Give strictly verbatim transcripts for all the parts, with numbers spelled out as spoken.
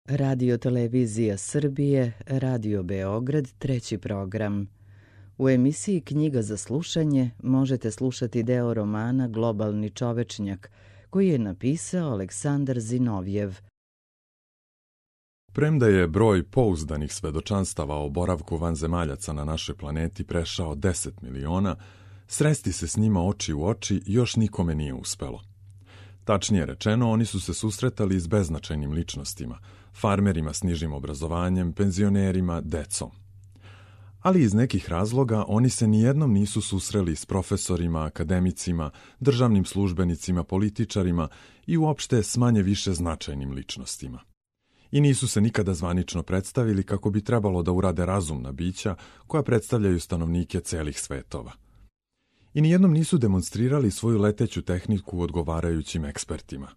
Radio Televizija Srbije, Radio Beograd, treći program. U emisiji Knjiga za slušanje možete slušati deo romana Globalni čovečnjak, koji je napisao Aleksandar Zinovjev. Premda je broj pouzdanih svedočanstava o boravku vanzemaljaca na našoj planeti prešao deset miliona, sresti se s njima oči u oči još nikome nije uspelo. Tačnije rečeno, oni su se susretali s beznačajnim ličnostima, farmerima s nižim obrazovanjem, penzionerima, decom. Ali iz nekih razloga oni se nijednom nisu susreli s profesorima, akademicima, državnim službenicima, političarima i uopšte s manje više značajnim ličnostima. I nisu se nikada zvanično predstavili kako bi trebalo da urade razumna bića koja predstavljaju stanovnike celih svetova. I nijednom nisu demonstrirali svoju leteću tehniku odgovarajućim ekspertima.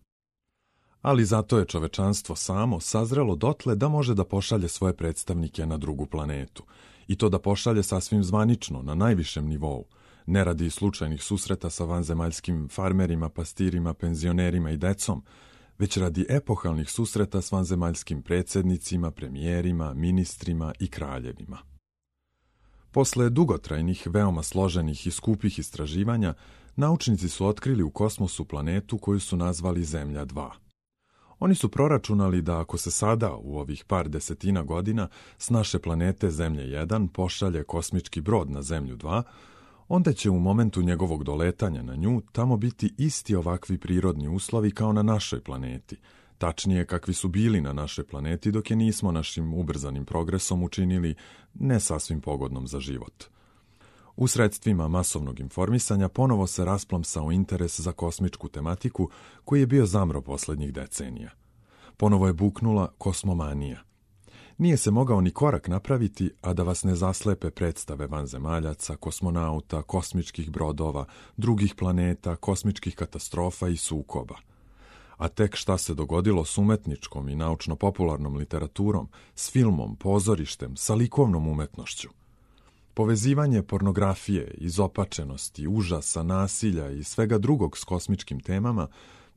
Ali zato je čovečanstvo samo sazrelo dotle da može da pošalje svoje predstavnike na drugu planetu, i to da pošalje sasvim zvanično, na najvišem nivou, ne radi slučajnih susreta sa vanzemaljskim farmerima, pastirima, penzionerima i decom, već radi epohalnih susreta s vanzemaljskim predsjednicima, premijerima, ministrima i kraljevima. Posle dugotrajnih, veoma složenih i skupih istraživanja, naučnici su otkrili u kosmosu planetu koju su nazvali Zemlja dva. Oni su proračunali da ako se sada, u ovih par desetina godina, s naše planete Zemlje jedan pošalje kosmički brod na Zemlju dva, onda će u momentu njegovog doletanja na nju tamo biti isti ovakvi prirodni uslovi kao na našoj planeti, tačnije kakvi su bili na našoj planeti dok je nismo našim ubrzanim progresom učinili ne sasvim pogodnom za život. U sredstvima masovnog informisanja ponovo se rasplamsao interes za kosmičku tematiku koji je bio zamro poslednjih decenija. Ponovo je buknula kosmomanija. Nije se mogao ni korak napraviti, a da vas ne zaslepe predstave vanzemaljaca, kosmonauta, kosmičkih brodova, drugih planeta, kosmičkih katastrofa i sukoba. A tek šta se dogodilo s umetničkom i naučno-popularnom literaturom, s filmom, pozorištem, sa likovnom umetnošću. Povezivanje pornografije, izopačenosti, užasa, nasilja i svega drugog s kosmičkim temama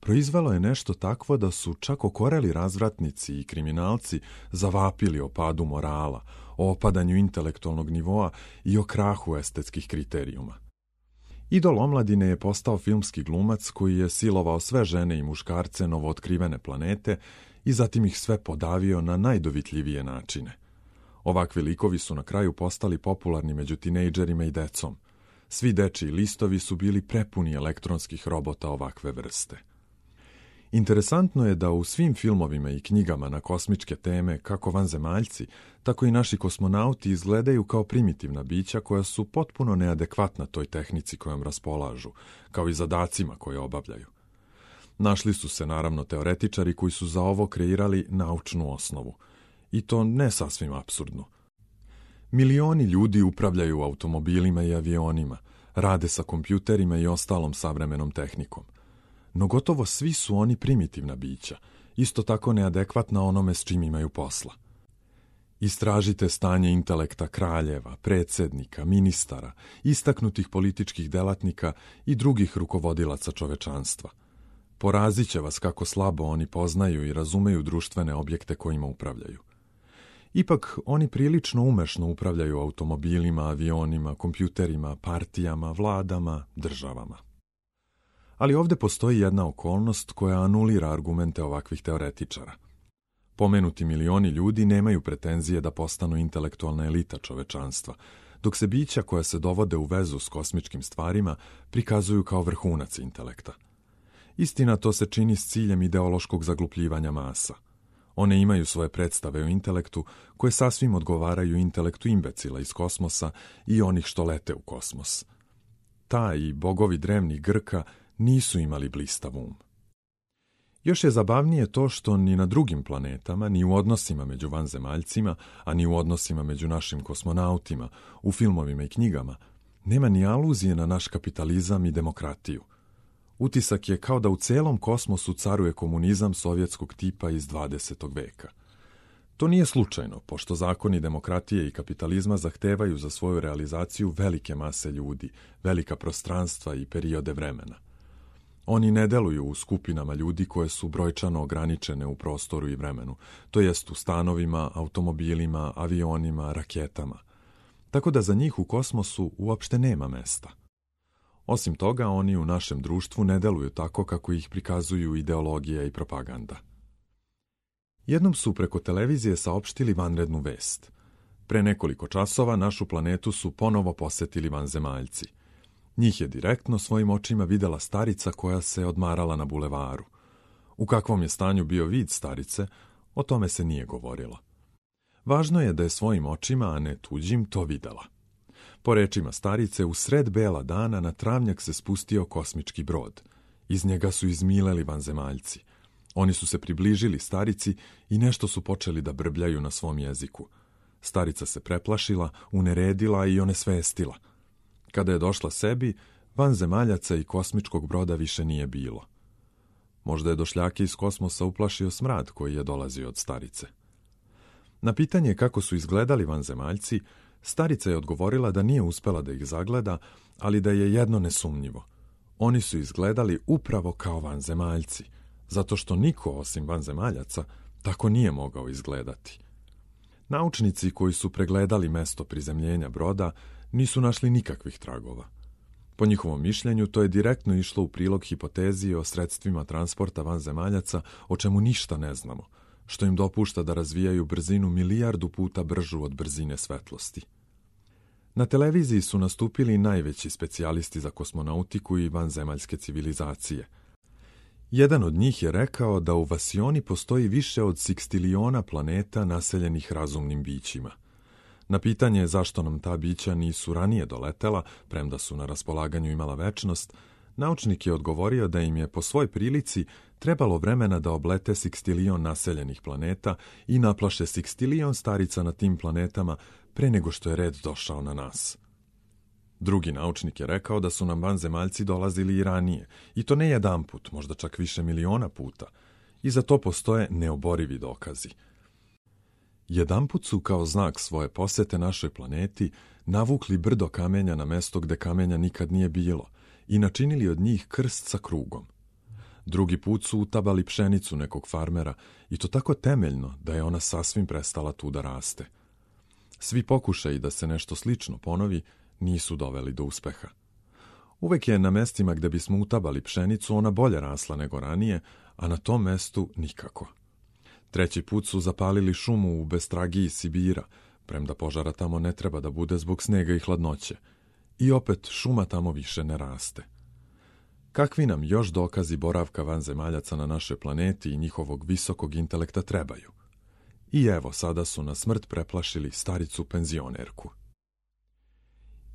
proizvelo je nešto takvo da su čak okoreli razvratnici i kriminalci zavapili o padu morala, o opadanju intelektualnog nivoa i o krahu estetskih kriterijuma. Idol omladine je postao filmski glumac koji je silovao sve žene i muškarce novootkrivene planete i zatim ih sve podavio na najdovitljivije načine. Ovakvi likovi su na kraju postali popularni među tinejdžerima i decom. Svi dečiji listovi su bili prepuni elektronskih robota ovakve vrste. Interesantno je da u svim filmovima i knjigama na kosmičke teme kako vanzemaljci, tako i naši kosmonauti izgledaju kao primitivna bića koja su potpuno neadekvatna toj tehnici kojom raspolažu, kao i zadacima koje obavljaju. Našli su se naravno teoretičari koji su za ovo kreirali naučnu osnovu, i to ne sasvim apsurdnu. Milioni ljudi upravljaju automobilima i avionima, rade sa kompjuterima i ostalom savremenom tehnikom. No gotovo svi su oni primitivna bića, isto tako neadekvatna onome s čim imaju posla. Istražite stanje intelekta kraljeva, predsjednika, ministara, istaknutih političkih delatnika i drugih rukovodilaca čovečanstva. Porazit će vas kako slabo oni poznaju i razumeju društvene objekte kojima upravljaju. Ipak, oni prilično umešno upravljaju automobilima, avionima, kompjuterima, partijama, vladama, državama. Ali ovdje postoji jedna okolnost koja anulira argumente ovakvih teoretičara. Pomenuti milioni ljudi nemaju pretenzije da postanu intelektualna elita čovečanstva, dok se bića koja se dovode u vezu s kosmičkim stvarima prikazuju kao vrhunac intelekta. Istina, to se čini s ciljem ideološkog zaglupljivanja masa. One imaju svoje predstave o intelektu koje sasvim odgovaraju intelektu imbecila iz kosmosa i onih što lete u kosmos. Ta i bogovi drevnih Grka nisu imali blistav um. Još je zabavnije to što ni na drugim planetama, ni u odnosima među vanzemaljcima, a ni u odnosima među našim kosmonautima, u filmovima i knjigama, nema ni aluzije na naš kapitalizam i demokratiju. Utisak je kao da u celom kosmosu caruje komunizam sovjetskog tipa iz dvadesetog veka. To nije slučajno, pošto zakoni demokratije i kapitalizma zahtevaju za svoju realizaciju velike mase ljudi, velika prostranstva i periode vremena. Oni ne deluju u skupinama ljudi koje su brojčano ograničene u prostoru i vremenu, to jest u stanovima, automobilima, avionima, raketama. Tako da za njih u kosmosu uopšte nema mesta. Osim toga, oni u našem društvu ne deluju tako kako ih prikazuju ideologija i propaganda. Jednom su preko televizije saopštili vanrednu vest. Pre nekoliko časova našu planetu su ponovo posetili vanzemaljci. Njih je direktno svojim očima videla starica koja se odmarala na bulevaru. U kakvom je stanju bio vid starice, o tome se nije govorilo. Važno je da je svojim očima, a ne tuđim, to videla. Po rečima starice, u sred bela dana na travnjak se spustio kosmički brod. Iz njega su izmileli vanzemaljci. Oni su se približili starici i nešto su počeli da brbljaju na svom jeziku. Starica se preplašila, uneredila i onesvestila. Kada je došla sebi, vanzemaljaca i kosmičkog broda više nije bilo. Možda je došljake iz kosmosa uplašio smrad koji je dolazio od starice. Na pitanje kako su izgledali vanzemaljci, starica je odgovorila da nije uspela da ih zagleda, ali da je jedno nesumnjivo. Oni su izgledali upravo kao vanzemaljci, zato što niko osim vanzemaljaca tako nije mogao izgledati. Naučnici koji su pregledali mesto prizemljenja broda nisu našli nikakvih tragova. Po njihovom mišljenju, to je direktno išlo u prilog hipotezi o sredstvima transporta vanzemaljaca, o čemu ništa ne znamo, što im dopušta da razvijaju brzinu milijardu puta bržu od brzine svetlosti. Na televiziji su nastupili najveći specijalisti za kosmonautiku i vanzemaljske civilizacije. Jedan od njih je rekao da u Vasioni postoji više od sekstiliona planeta naseljenih razumnim bićima. Na pitanje zašto nam ta bića nisu ranije doletela, premda su na raspolaganju imala večnost, naučnik je odgovorio da im je po svoj prilici trebalo vremena da oblete sekstilion naseljenih planeta i naplaše sekstilion starica na tim planetama pre nego što je red došao na nas. Drugi naučnik je rekao da su nam vanzemaljci dolazili i ranije, i to ne jedan put, možda čak više miliona puta, i za to postoje neoborivi dokazi. Jedanput su kao znak svoje posete našoj planeti navukli brdo kamenja na mesto gde kamenja nikad nije bilo i načinili od njih krst sa krugom. Drugi put su utabali pšenicu nekog farmera i to tako temeljno da je ona sasvim prestala tu da raste. Svi pokušaji da se nešto slično ponovi nisu doveli do uspeha. Uvek je na mestima gde bismo utabali pšenicu ona bolje rasla nego ranije, a na tom mestu nikako. Treći put su zapalili šumu u Bestragiji Sibira, premda požara tamo ne treba da bude zbog snega i hladnoće. I opet šuma tamo više ne raste. Kakvi nam još dokazi boravka vanzemaljaca na našoj planeti i njihovog visokog intelekta trebaju? I evo, sada su na smrt preplašili staricu penzionerku.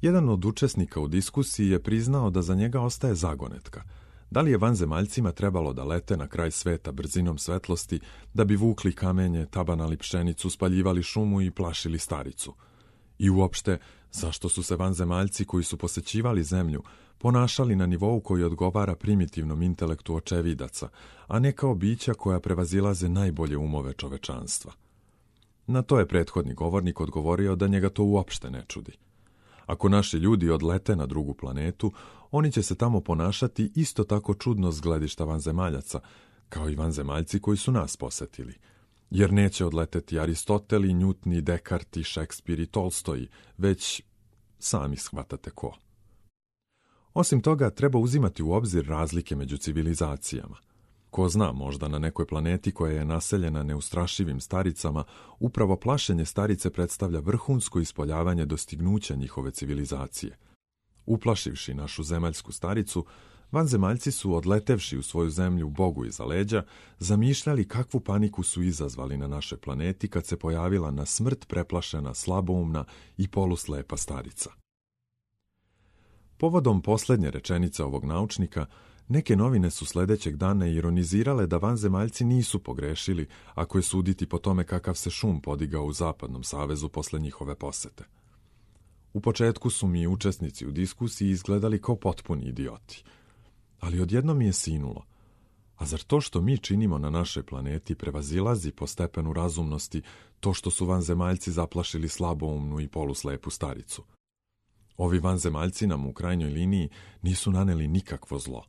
Jedan od učesnika u diskusiji je priznao da za njega ostaje zagonetka. Da li je vanzemaljcima trebalo da lete na kraj sveta brzinom svetlosti, da bi vukli kamenje, tabanali pšenicu, spaljivali šumu i plašili staricu? I uopšte, zašto su se vanzemaljci koji su posećivali zemlju ponašali na nivou koji odgovara primitivnom intelektu očevidaca, a ne kao bića koja prevazilaze najbolje umove čovečanstva? Na to je prethodni govornik odgovorio da njega to uopšte ne čudi. Ako naši ljudi odlete na drugu planetu, oni će se tamo ponašati isto tako čudno s gledišta vanzemaljaca, kao i vanzemaljci koji su nas posetili. Jer neće odleteti Aristoteli, Njutni, Dekarti, Šekspir i Tolstoji, već sami shvatate ko. Osim toga, treba uzimati u obzir razlike među civilizacijama. Ko zna, možda na nekoj planeti koja je naseljena neustrašivim staricama, upravo plašenje starice predstavlja vrhunsko ispoljavanje dostignuća njihove civilizacije. Uplašivši našu zemaljsku staricu, vanzemaljci su, odletevši u svoju zemlju Bogu iza leđa, zamišljali kakvu paniku su izazvali na našoj planeti kad se pojavila na smrt preplašena, slaboumna i poluslepa starica. Povodom poslednje rečenice ovog naučnika, neke novine su sledećeg dana ironizirale da vanzemaljci nisu pogrešili ako je suditi po tome kakav se šum podigao u Zapadnom savezu posle njihove posete. U početku su mi učesnici u diskusiji izgledali kao potpuni idioti, ali odjednom mi je sinulo. A zar to što mi činimo na našoj planeti prevazilazi po stepenu razumnosti to što su vanzemaljci zaplašili slaboumnu i poluslepu staricu? Ovi vanzemaljci nam u krajnjoj liniji nisu naneli nikakvo zlo.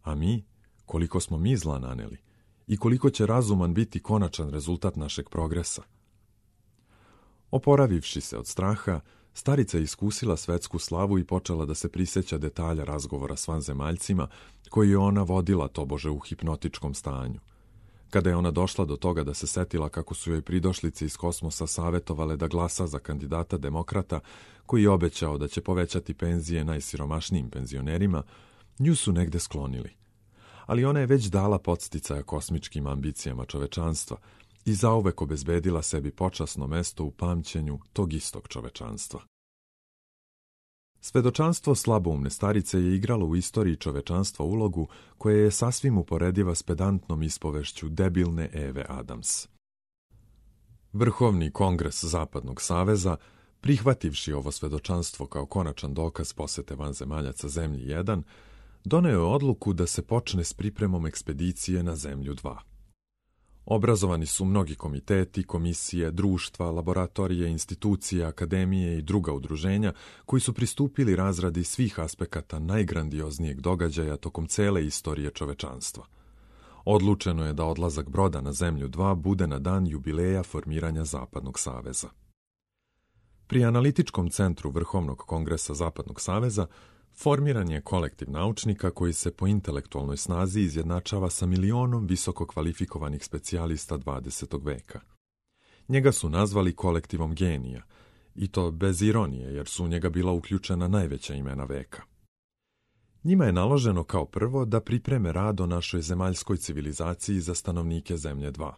A mi, koliko smo mi zla naneli i koliko će razuman biti konačan rezultat našeg progresa. Oporavivši se od straha, starica je iskusila svetsku slavu i počela da se prisjeća detalja razgovora s vanzemaljcima koji je ona vodila tobože u hipnotičkom stanju. Kada je ona došla do toga da se setila kako su joj pridošlice iz kosmosa savetovale da glasa za kandidata demokrata koji je obećao da će povećati penzije najsiromašnijim penzionerima, nju su negde sklonili. Ali ona je već dala podsticaja kosmičkim ambicijama čovečanstva i zauvek obezbedila sebi počasno mesto u pamćenju tog istog čovečanstva. Svedočanstvo slaboumne starice je igralo u istoriji čovečanstva ulogu koja je sasvim uporediva s pedantnom ispovešću debilne Eve Adams. Vrhovni kongres Zapadnog saveza, prihvativši ovo svedočanstvo kao konačan dokaz posete vanzemaljaca Zemlji jedan, doneo je odluku da se počne s pripremom ekspedicije na Zemlju dva. Obrazovani su mnogi komiteti, komisije, društva, laboratorije, institucije, akademije i druga udruženja koji su pristupili razradi svih aspekata najgrandioznijeg događaja tokom cele istorije čovečanstva. Odlučeno je da odlazak broda na Zemlju dva bude na dan jubileja formiranja Zapadnog saveza. Pri analitičkom centru Vrhovnog kongresa Zapadnog saveza formiran je kolektiv naučnika koji se po intelektualnoj snazi izjednačava sa milionom visoko kvalifikovanih specijalista dvadesetog veka. Njega su nazvali kolektivom genija, i to bez ironije, jer su u njega bila uključena najveća imena veka. Njima je naloženo kao prvo da pripreme rad o našoj zemaljskoj civilizaciji za stanovnike Zemlje dva.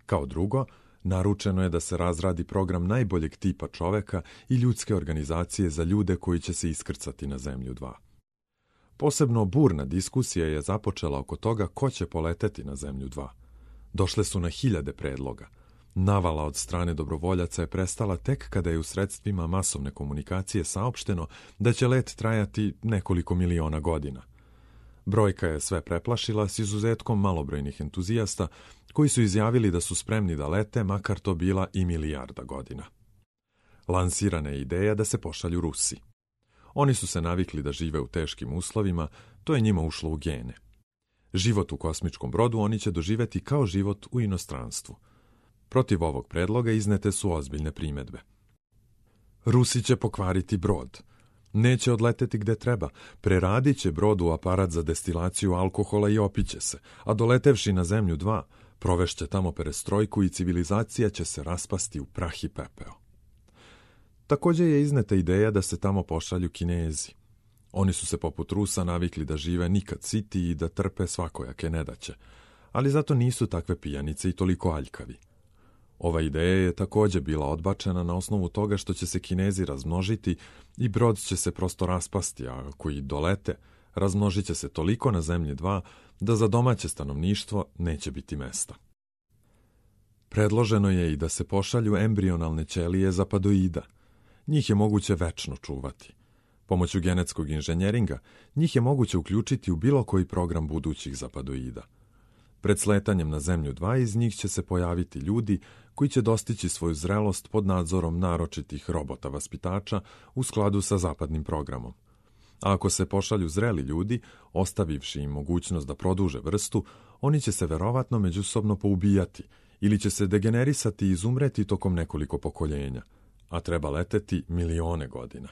Kao drugo, naručeno je da se razradi program najboljeg tipa čoveka i ljudske organizacije za ljude koji će se iskrcati na Zemlju dva. Posebno burna diskusija je započela oko toga ko će poleteti na Zemlju dva. Došle su na hiljade predloga. Navala od strane dobrovoljaca je prestala tek kada je u sredstvima masovne komunikacije saopšteno da će let trajati nekoliko miliona godina. Brojka je sve preplašila s izuzetkom malobrojnih entuzijasta koji su izjavili da su spremni da lete, makar to bila i milijarda godina. Lansirana je ideja da se pošalju Rusi. Oni su se navikli da žive u teškim uslovima, to je njima ušlo u gene. Život u kosmičkom brodu oni će doživeti kao život u inostranstvu. Protiv ovog predloga iznete su ozbiljne primedbe. Rusi će pokvariti brod. Neće odleteti gde treba, preradit će brod u aparat za destilaciju alkohola i opiće se, a doletevši na Zemlju dva, provešće tamo perestrojku i civilizacija će se raspasti u prah i pepeo. Također je izneta ideja da se tamo pošalju Kinezi. Oni su se poput Rusa navikli da žive nikad siti i da trpe svakojake nedaće, ali zato nisu takve pijanice i toliko aljkavi. Ova ideja je također bila odbačena na osnovu toga što će se Kinezi razmnožiti i brod će se prosto raspasti, a ako i dolete, razmnožit će se toliko na Zemlji dva da za domaće stanovništvo neće biti mesta. Predloženo je i da se pošalju embrionalne ćelije zapadoida. Njih je moguće večno čuvati. Pomoću genetskog inženjeringa njih je moguće uključiti u bilo koji program budućih zapadoida. Pred sletanjem na Zemlju dva iz njih će se pojaviti ljudi koji će dostići svoju zrelost pod nadzorom naročitih robota vaspitača u skladu sa zapadnim programom. A ako se pošalju zreli ljudi, ostavivši im mogućnost da produže vrstu, oni će se verovatno međusobno poubijati ili će se degenerisati i izumreti tokom nekoliko pokoljenja, a treba leteti milione godina.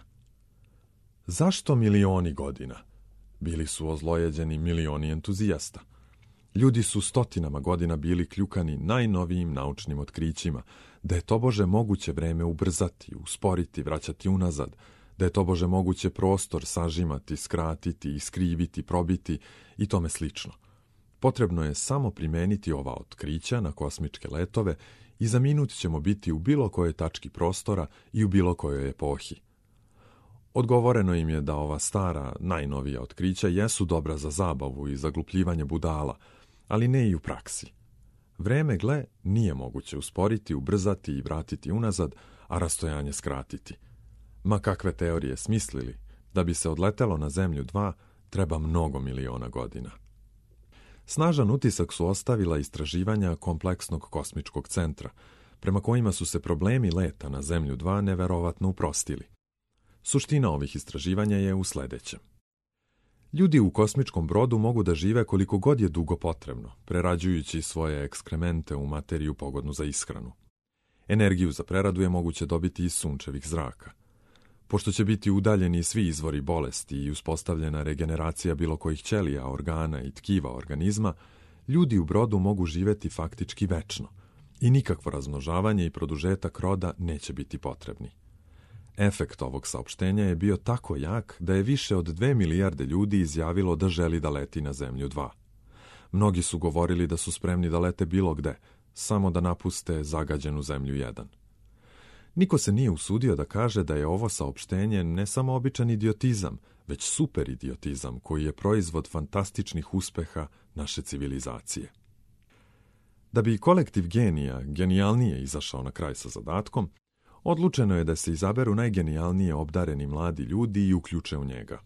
Zašto milioni godina? Bili su ozlojeđeni milioni entuzijasta. Ljudi su stotinama godina bili kljukani najnovijim naučnim otkrićima, da je tobože moguće vreme ubrzati, usporiti, vraćati unazad, da je tobože moguće prostor sažimati, skratiti, iskriviti, probiti i tome slično. Potrebno je samo primeniti ova otkrića na kosmičke letove i za minut ćemo biti u bilo kojoj tački prostora i u bilo kojoj epohi. Odgovoreno im je da ova stara, najnovija otkrića jesu dobra za zabavu i zaglupljivanje budala, ali ne i u praksi. Vreme, gle, nije moguće usporiti, ubrzati i vratiti unazad, a rastojanje skratiti. Ma kakve teorije smislili, da bi se odletelo na Zemlju dva, treba mnogo miliona godina. Snažan utisak su ostavila istraživanja kompleksnog kosmičkog centra, prema kojima su se problemi leta na Zemlju dva neverovatno uprostili. Suština ovih istraživanja je u sledećem. Ljudi u kosmičkom brodu mogu da žive koliko god je dugo potrebno, prerađujući svoje ekskremente u materiju pogodnu za ishranu. Energiju za preradu je moguće dobiti iz sunčevih zraka. Pošto će biti udaljeni svi izvori bolesti i uspostavljena regeneracija bilo kojih ćelija, organa i tkiva organizma, ljudi u brodu mogu živjeti faktički večno i nikakvo razmnožavanje i produžetak roda neće biti potrebni. Efekt ovog saopštenja je bio tako jak da je više od dve milijarde ljudi izjavilo da želi da leti na Zemlju dva. Mnogi su govorili da su spremni da lete bilo gde, samo da napuste zagađenu Zemlju jedan. Niko se nije usudio da kaže da je ovo saopštenje ne samo običan idiotizam, već super idiotizam koji je proizvod fantastičnih uspeha naše civilizacije. Da bi kolektiv genija genijalnije izašao na kraj sa zadatkom, odlučeno je da se izaberu najgenijalnije obdareni mladi ljudi i uključe u njega.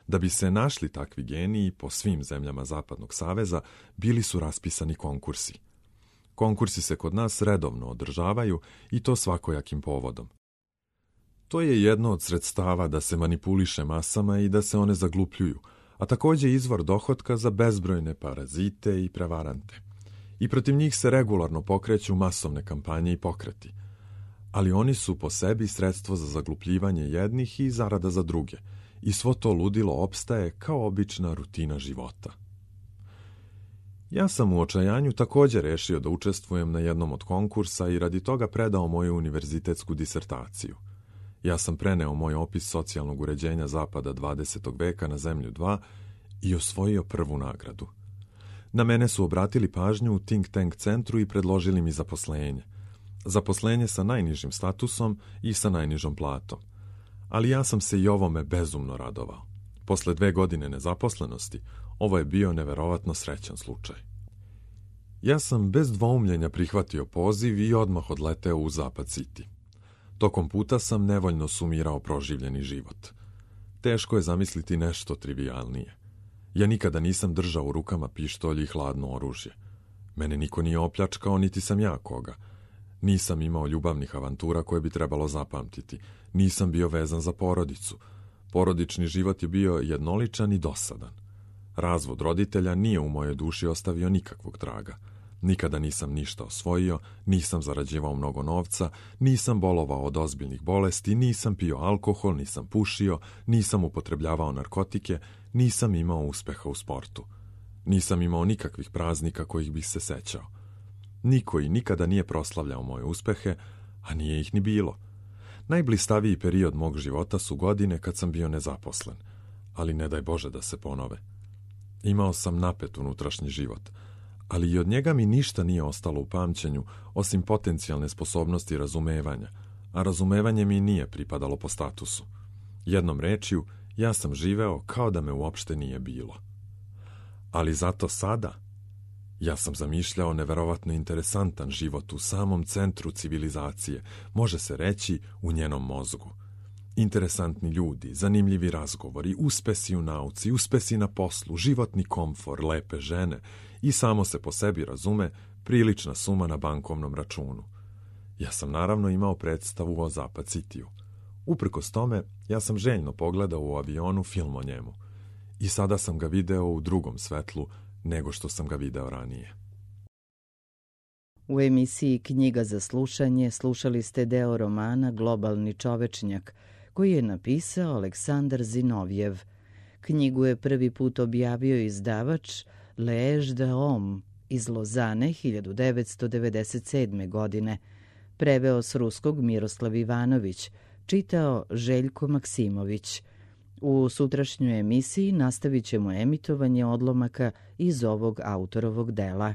Da bi se našli takvi geniji po svim zemljama Zapadnog saveza, bili su raspisani konkursi. Konkursi se kod nas redovno održavaju i to svakojakim povodom. To je jedno od sredstava da se manipuliše masama i da se one zaglupljuju, a također izvor dohotka za bezbrojne parazite i prevarante. I protiv njih se regularno pokreću masovne kampanje i pokreti. Ali oni su po sebi sredstvo za zaglupljivanje jednih i zarada za druge, i svo to ludilo opstaje kao obična rutina života. Ja sam u očajanju također rešio da učestvujem na jednom od konkursa i radi toga predao moju univerzitetsku disertaciju. Ja sam preneo moj opis socijalnog uređenja Zapada dvadesetog veka na Zemlju dva i osvojio prvu nagradu. Na mene su obratili pažnju u think tank centru i predložili mi zaposlenje. Zaposlenje sa najnižim statusom i sa najnižom platom. Ali ja sam se i ovome bezumno radovao. Posle dve godine nezaposlenosti, ovo je bio neverovatno srećan slučaj. Ja sam bez dvoumljenja prihvatio poziv i odmah odleteo u Zapad City. Tokom puta sam nevoljno sumirao proživljeni život. Teško je zamisliti nešto trivijalnije. Ja nikada nisam držao u rukama pištolj i hladno oružje. Mene niko nije opljačkao, niti sam ja koga. Nisam imao ljubavnih avantura koje bi trebalo zapamtiti. Nisam bio vezan za porodicu. Porodični život je bio jednoličan i dosadan. Razvod roditelja nije u mojoj duši ostavio nikakvog traga. Nikada nisam ništa osvojio, nisam zarađivao mnogo novca, nisam bolovao od ozbiljnih bolesti, nisam pio alkohol, nisam pušio, nisam upotrebljavao narkotike, nisam imao uspeha u sportu. Nisam imao nikakvih praznika kojih bih se sećao. Niko i nikada nije proslavljao moje uspehe, a nije ih ni bilo. Najblistaviji period mog života su godine kad sam bio nezaposlen, ali ne daj Bože da se ponove. Imao sam napet unutrašnji život, ali i od njega mi ništa nije ostalo u pamćenju, osim potencijalne sposobnosti razumevanja, a razumevanje mi nije pripadalo po statusu. Jednom rečju, ja sam živeo kao da me uopšte nije bilo. Ali zato sada, ja sam zamišljao neverovatno interesantan život u samom centru civilizacije, može se reći u njenom mozgu. Interesantni ljudi, zanimljivi razgovori, uspesi u nauci, uspesi na poslu, životni komfor, lepe žene i samo se po sebi razume prilična suma na bankovnom računu. Ja sam naravno imao predstavu o Zapad Citiju. Uprkos tome, ja sam željno pogledao u avionu film o njemu. I sada sam ga video u drugom svetlu nego što sam ga video ranije. U emisiji Knjiga za slušanje slušali ste deo romana Globalni čovečnjak, koji je napisao Aleksandar Zinovjev. Knjigu je prvi put objavio izdavač L'Age de Homme iz Lozane hiljadu devetsto devedeset sedme. godine. Preveo s ruskog Miroslav Ivanović, čitao Željko Maksimović. U sutrašnjoj emisiji nastavit ćemo emitovanje odlomaka iz ovog autorovog dela.